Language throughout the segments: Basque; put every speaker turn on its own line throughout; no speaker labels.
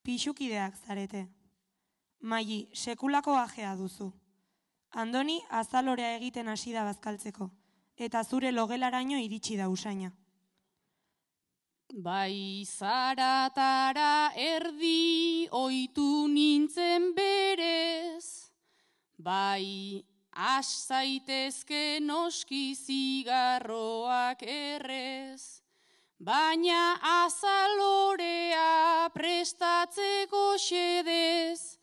Pixukideak zarete. Maili, sekulako ajea duzu. Andoni azalorea egiten hasi da bazkaltzeko, eta zure logelaraino iritsi da usaina.
Bai zaratara erdi oitu nintzen berez, bai has zaitezke noski zigarroak errez, baina azalorea prestatzeko xedez,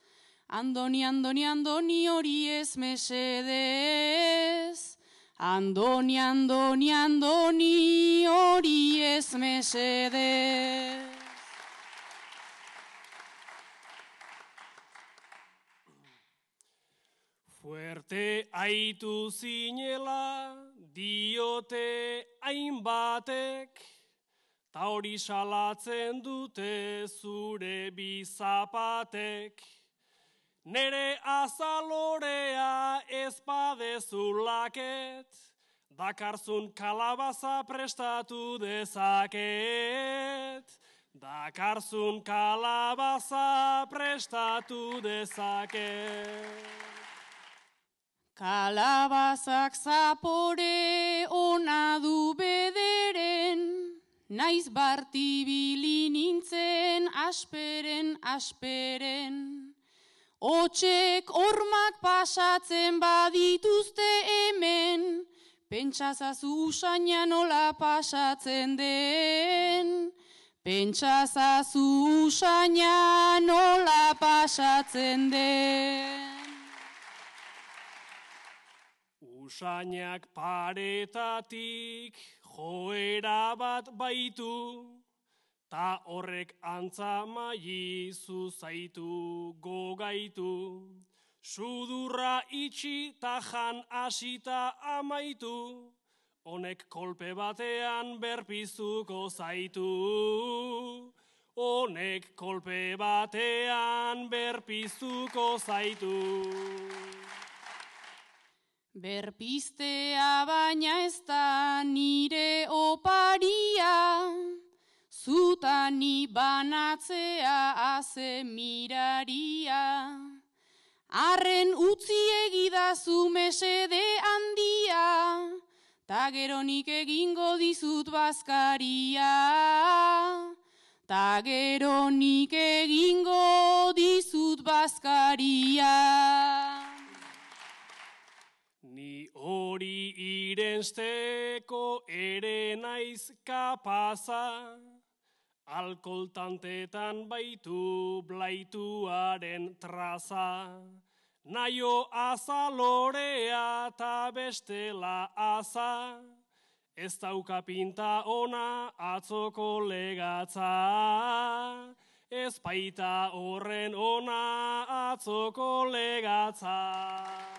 Andoni, Andoni, Andoni hori ez mesedez. Andoni, Andoni, Andoni hori ez mesedez.
Fuerte aitu zinela diote hainbatek, ta hori salatzen dute zure bizapatek. Nere azalorea ez badezulaket, dakarzun kalabaza prestatu dezaket. Dakarzun kalabaza prestatu dezaket.
Kalabazak zapore ona du bederen, naiz bartibili nintzen asperen, asperen. Hotsek hormak pasatzen badituzte hemen, pentsazazu usaina nola pasatzen den. Pentsazazu usaina nola pasatzen den.
Usainak paretatik joera bat baitu, ta horrek antza maili zuzaitu gogaitu. Sudurra itxi ta jan asita amaitu, honek kolpe batean berpiztuko zaitu. Honek kolpe batean berpiztuko zaitu.
Berpiztea baina ez da nire oparia, zutani banatzea aze miraria. Arren utzi egidazu mesede handia, ta gero nik egingo dizut bazkaria. Ta gero nik egingo dizut bazkaria.
Ni hori irensteko ere naiz kapaza, alkoltantetan baitu blaituaren traza. Naio azalorea ta bestela aza, ez dauka pinta ona atzoko legatza. Ez baita horren ona atzoko legatza.